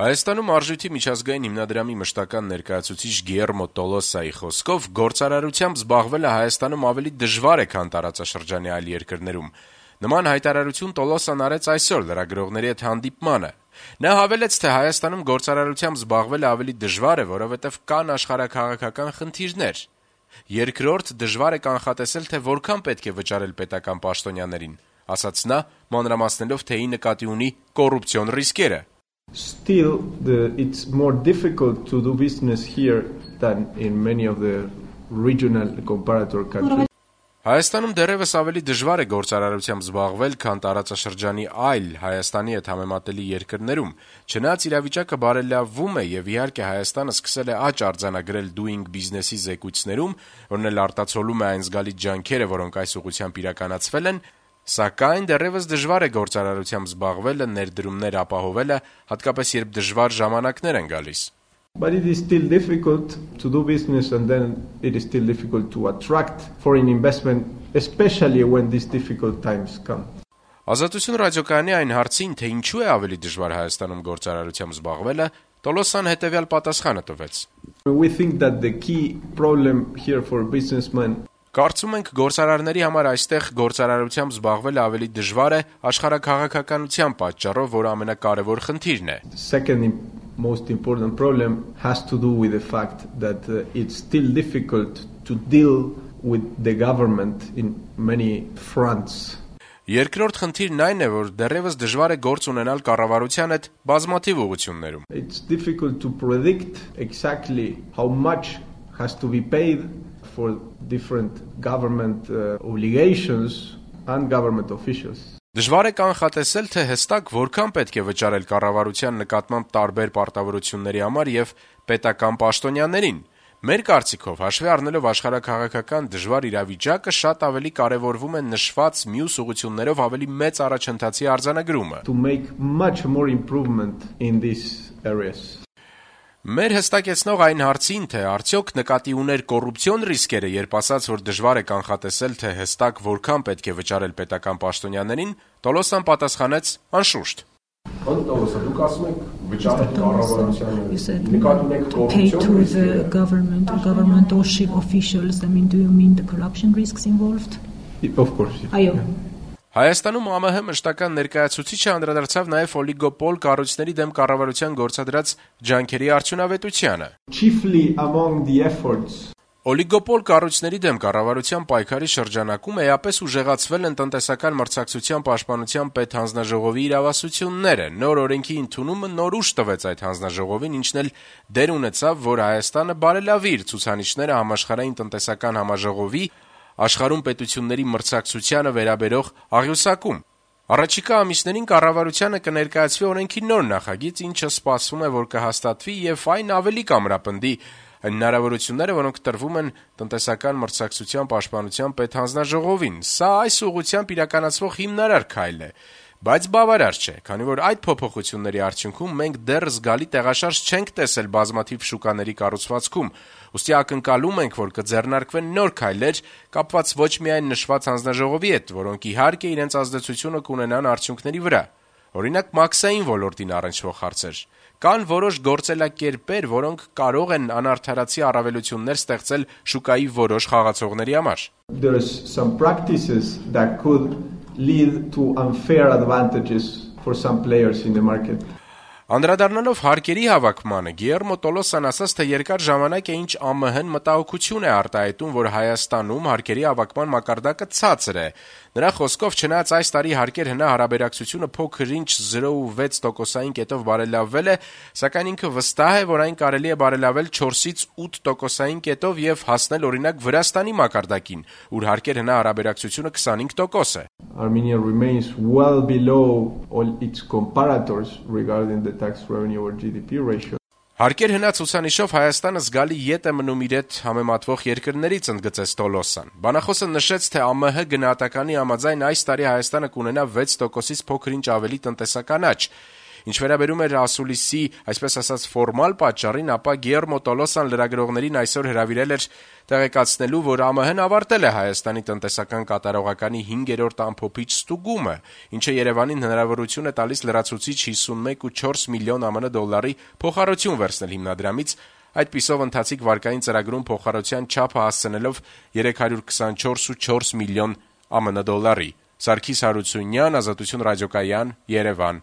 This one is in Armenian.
Հայաստանում արժույթի միջազգային հիմնադրամի մշտական ներկայացուցիչ Գիերմո Տոլոսայի խոսքով գործարարությամբ զբաղվելը Հայաստանում ավելի դժվար է, քան տարածաշրջանի այլ երկրներում։ Նման հայտարարություն Տոլոսան արեց այսօր լրագրողների հետ հանդիպմանը։ Նա հավելեց, թե Հայաստանում գործարարությամբ զբաղվելը ավելի դժվար է, որովհետև կան աշխարհաքաղաքական խնդիրներ։ Երկրորդ, դժվար է կանխատեսել, թե որքան պետք է վճարել պետական պաշտոնյաներին, ասաց նա, մանրամասնելով, թե ի նկատի ունի կոռուպցիոն ռիսկերը։ Still, it's more difficult to do business here than in many of the regional comparator countries. Հայաստանում դեռևս ավելի դժվար է գործարարությամբ զբաղվել, քան տարածաշրջանի այլ Հայաստանի հետ համեմատելի երկրներում, չնայած իրավիճակը բարելավվում է եւ իհարկե Հայաստանը սկսել է աճ արձանագրել doing business-ի զեկույցներում, որն էլ արտացոլում է այն զգալի ջանքերը, որոնք այս ուղղությամբ իրականացվել են, սակայն դեռևս դժվար է գործարարությամբ զբաղվելը, ներդրումներ ապահովելը, հատկապես երբ դժվար ժամանակներ են գալիս։ But it is still difficult to do business and then it is still difficult to attract foreign investment, especially when these difficult times come. Ազատություն ռադիոկայանի այն հարցին, թե ինչու է ավելի դժվար Հայաստանում գործարարությամբ զբաղվելը, Տոլոսան հետևյալ պատասխանը տվեց. We think that the key problem here for businessmen Կարծում ենք գործարարների համար այստեղ գործարարությամբ զբաղվելը ավելի դժվար է աշխարհաքաղաքականության պատճառով, որը ամենակարևոր խնդիրն է։ Second most important problem has to do with the fact that it's still difficult to deal with the government in many fronts. Երկրորդ խնդիրն այն է, որ դեռևս դժվար է գործ ունենալ կառավարության հետ բազմաթիվ ուղղություններում։ It's difficult to predict exactly how much has to be paid for different government obligations and government officials. Դժվար է կանխատեսել, թե հստակ որքան պետք է վճարել կառավարության նկատմամբ տարբեր պարտավորությունների համար եւ պետական պաշտոնյաներին։ Մեր կարծիքով, հաշվի առնելով աշխարհաքաղաքական դժվար իրավիճակը, շատ ավելի կարևորվում է նշված մյուս ուղղություններով ավելի մեծ առաջընթացի արձանագրումը։ To make much more improvement in these areas. Մեր հստակեցնող այն հարցին, թե արդյոք նկատի ուներ կոռուպցիոն ռիսկերը, երբ ասաց, որ դժվար է կանխատեսել, թե հստակ որքան պետք է վճարել պետական պաշտոնյաներին, Տոլոսան պատասխանեց. անշուշտ։ Դուք ասում եք վճարել կառավարությանը, նկատի ունեք կոռուպցիոն governmentalship officials, I mean, do you mean the corruption risks involved? Of course. Այո։ Հայաստանում ԱՄՀ մշտական ներկայացուցիչը անդրադարձավ նաև օլիգոպոլ կառույցների դեմ կառավարության գործադրած ջանքերի արդյունավետությանը։ Chiefly among the efforts Օլիգոպոլ կառույցների դեմ կառավարության պայքարի շրջանակում էապես ուժեղացվել են տնտեսական մրցակցության պաշտպանության պետհանձնաժողովի իրավասությունները։ Նոր օրենքի ընդունումը նոր ուժ տվեց այդ հանձնաժողովին, ինչն էլ դեր ունեցավ, որ Հայաստանը բարելավի իր ցուցանիշները համաշխարհային տնտեսական համաժողովի աշխարհում պետությունների մրցակցությանը վերաբերող աղյուսակում։ Առաջիկա ամիսներին կառավարությանը կներկայացվի օրենքի նոր նախագիծ, ինչը սպասվում է, որ կհաստատվի եւ այն ավելի կամրապնդի հնարավորությունները, որոնք տրվում են տնտեսական մրցակցության պաշտպանության պետհանձնաժողովին։ Սա այս ուղղությամբ իրականացվող հիմնարար քայլ է, բայց բավարար չէ, քանի որ այդ փոփոխությունների արդյունքում մենք դեռ զգալի տեղաշարժ չենք տեսել բազմաթիվ շուկաների կառուցվածքում, ուստի ակնկալում ենք, որ կձեռնարկվեն նոր քայլեր կապված ոչ միայն նշված հանձնաժողովի հետ, որոնք իհարկե իրենց ազդեցությունը կունենան արդյունքների վրա, օրինակ մաքսային ոլորտին առնչվող հարցեր։ Կան որոշ գործելակերպեր, որոնք կարող են անարդարացի առավելություններ ստեղծել շուկայի որոշ խաղացողների համար։ There is some practices that could lead to unfair advantages for some players in the market. Անդրադառնալով հարկերի հավաքմանը, Գիերմո Տոլոսան ասաց, թե երկար ժամանակ է ինչ ԱՄՀ-ն մտահոգություն է արտահայտում, որ Հայաստանում հարկերի հավաքման մակարդակը ցածր է։ Նրա խոսքով, չնայած այս տարի հարկեր հնա հարաբերակցությունը փոքր-ինչ 0.6%-ային կետով բարելավվել է, սակայն ինքը վստահ է, որ այն կարելի է բարելավել 4-ից 8%-ային կետով եւ հասնել օրինակ Վրաստանի մակարդակին, ուր հարկեր հնա հարաբերակցությունը 25% է։ Armenia remains well below all its comparators regarding the tax revenue or GDP ratio. Հարկեր հնա ցուցանիշով Հայաստանը զգալի ետ է մնում իր հետ համեմատվող երկրներից, ընդգծեց Տոլոսան։ Բանախոսը նշեց, թե ԱՄՀ գնահատականի համաձայն այս տարի Հայաստանը կունենա 6%-ից փոքր-ինչ ավելի տնտեսական աճ։ Ինչ վերաբերում էր ասուլիսի, այսպես ասած, ֆորմալ պատճառին, ապա Գիերմո Տոլոսան լրագրողներին այսօր հրավիրել էր տեղեկացնելու, որ ԱՄՀ-ն ավարտել է Հայաստանի տնտեսական կատարողականի 5-րդ ամփոփիչ ստուգումը, ինչը Երևանին հնարավորություն է տալիս լրացուցիչ 51.4 միլիոն ԱՄՆ դոլարի փոխառություն վերցնել հիմնադրամից, այդպիսով ընթացիկ վարկային ծրագրում փոխառության չափը հասցնելով 324.4 միլիոն ԱՄՆ դոլարի։ Սարգիս Հարությունյան, Ազատություն ռադիոկայան, Երևան։